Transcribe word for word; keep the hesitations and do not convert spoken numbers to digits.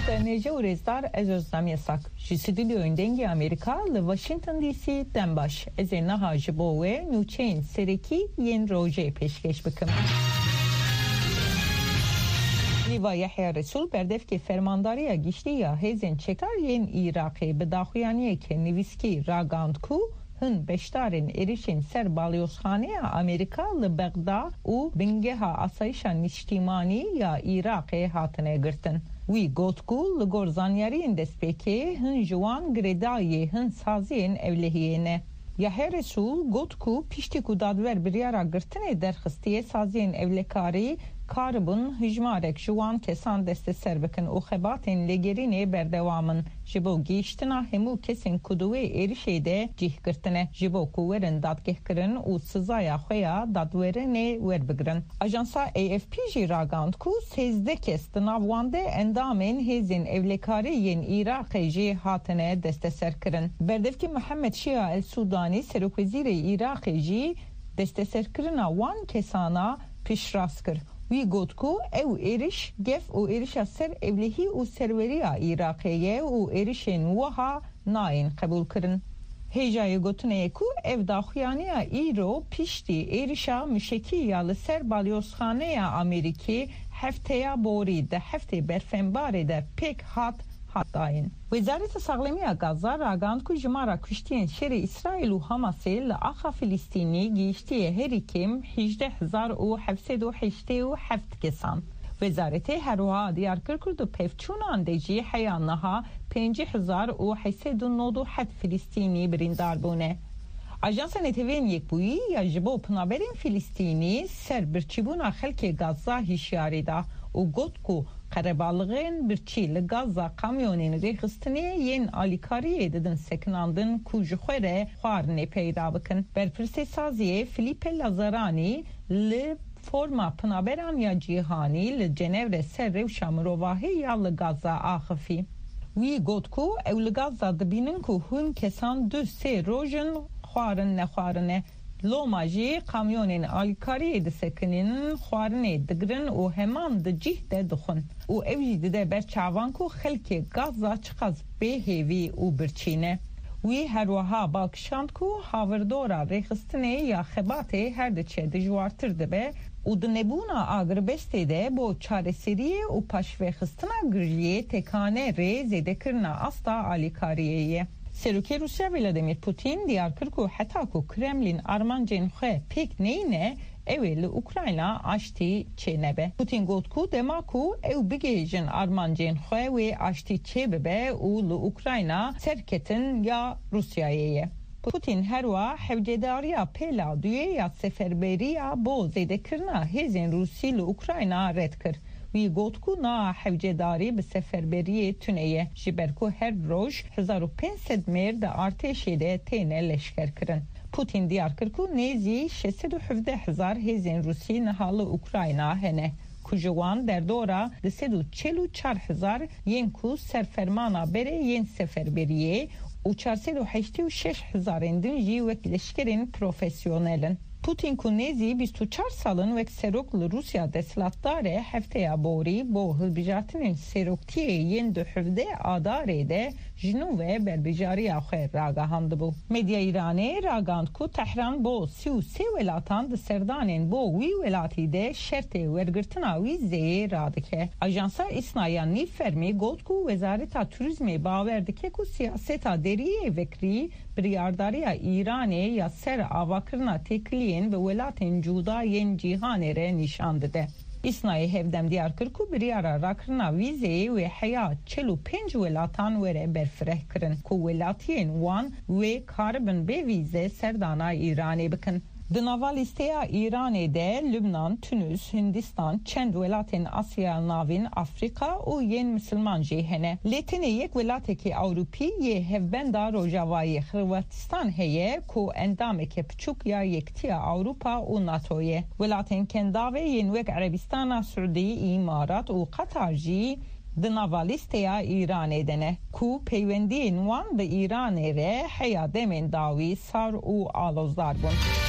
Tenêje û rêzdar, ez Özlem Yasak. Ji stûdyoyên Dengê Amerîka li Washington D C dem baş. Ez ê niha ji bo we nûçeyên serekî yên rojê pêşkêş bikim. Lîva Yahya Resûl, berdevkê Fermandariya Giştî ya Hêzên Çekdar yên Iraqê, bi daxuyaniyeke nivîskî ragihand ku hin beşdarên êrişên ser balyozxaneya Amerîka li Bexda û bingeha asayişa niştîmanî ya Iraqê hatine girtin. Wî got ku li gor zanyariyên destpêkê hin ji wan girêdayî hin saziyên ewlehiyê ne. Yahya Resûl got ku piştî ku dadwer biryara girtinê derxistiye, saziyên ewlekarî karibûn hijmarek ji wan kesan desteser bikin û xebatên lêgerînê berdewam in. Ji bo gihîştina hemû kesên ku di wê êrişê de cih girtine, ji bo ku werin dadgehkirin û sizaya xwe ya dadwerinê werbigirin. Ajansa A F P jî ragihand ku sêzdeh kes, di nav wan de endamên hêzên ewlekarî yên Iraqê jî hatine desteserkirin. Berdevkî Mihemed Şia El Sûdanî, serokwezîrê Iraqê jî desteserkirina wan kesana piştrast kir. Wî got ku ew êriş gef û êrişa ser ewlehî û serweriya Iraqê ye û êrişên wiha nayên qebûlkirin. Hêjayê gotinê ye ku ev daxuyaniya îro piştî êrişa mişekî ya li ser balyozxaneya Amerîkî hefteya borî di heftê berfembarê de pêk hat, hat dayîn. Wezareta Saxlemiya Gaza ragihand ku jimara kuştiyên şerê Îsraîl û Hamasê li axa Filistînî gihiştiye herî kêm hejdeh hezar û heft sed û heştê û heft kesan. Wezaretê her wiha diyar kir ku di pevçûnan de jî heya niha pêncî hezar û heşt sed û nod û heft Filistînî birîndar bûne. Ajansa Neteweyên Yekbûyî ya ji bo penaberên Filistînî ser birçîbûna xelkê Gaza hişyarî da û got ku qerebalixên birçî li Gaza kamyonên rêxistinê yên alîkariyê didin sekinandin ku ji xwe re xwarinê peyda bikin. Berpirsê saziyê Filipe Lazzaranî li Forma Penaberan ya Cîhanî li Cenevre ser rewşa mirovahî ya li Gaza axifî. Wî got ku ew li Gaza dibînin ku hin kesan du sê roj in xwarin nexwarine. Loma jî kamyonên alîkariyê disekinin, xwarinê digirin û heman di cih de dixwin. Û ew jî dide ber çavan ku xelkê Gaza çiqas bêhêvî û birçî ne. Wî her wiha bal kişand ku havirdora rêxistinê ya xebatê her diçe dijwartir dibe û di nebûna agirbestê de bo çareseriyê û paşvexistina giriyê tekane rê zêdekirina asta alîkariyê ye. Serokê Rûsya Vladimir Putin diyar kir ku heta ku Kremlin armancên xwe pêk neyne, ew ê li Ukrayna aştî çênebe. Putin got ku dema ku ew bigihêjin armancên xwe, wê aştî çêbibe û li Ukrayna serketin ya Rûsyayê ye. Putin herwa hewcedariya pêla duyê ya seferberiya bo zêdekirina hêzên Rûsî li Ukrayna red kir. Wî got ku na hewcedarî bi seferberiyê tune ye, ji ber ku her roj hezar û pênc sed mêr di artêşê de têne leşkerkirin. Putin diyar kir ku nêzî şeş sed û hevdeh hezar hêzên Rûsî niha li Ukrayna hene, ku ji wan derdora du sed û çel û çar hezar yên ku ser fermana berê yên seferberiyê û çar sed û heştê û şeş hezarên din jî wek leşkerên profesyonel in. Putin ku nêzî bîst û çar sal in wek serok li Rûsya desthilatdar e, hefteya borî bo hilbijartinên seroktiyê yên du hevdeh Adarê de ji nû ve berbijariya xwe ragihandibû. Medya Îranê ragihand ku Tehran bo sî û sê welatan di serdanên bo wî welatî de şertê wergirtina wîzeyê radike. Ajansa Îsna ya Nîvfermî got ku Wezareta Turîzmê bawer dike ku siyaseta deriyê vekirî biryardariya Îranê ya ser avakirina têkiliyên bi welatên cuda yên cîhanê re nîşan dide. Îsnayê hevdem diyar kir ku biryara rakirina vîzeyê wê heya çil û pênc welatan were berfirehkirin ku welatiyên wan wê karibin bê vîze serdana Îranê bikin. Di nava lîsteya Îranê de Lubnan, Tunus, Hindistan, çend welatên Asya Navîn, Afrîka û yên Misilman jî hene. Lê tenê yek welatekî Ewropî yê hevbenda Rojavayê, Xirwatistan, heye ku endameke piçûk ya Yekitiya Ewropa û NATO ye. Welatên Kendavê yên wek Erebistana Siûdî, Îmarat û Qatar jî di nava lîsteya Îranê de ne, ku peywendiyên wan bi Îranê re heya demên dawî sar û alozdar bûn.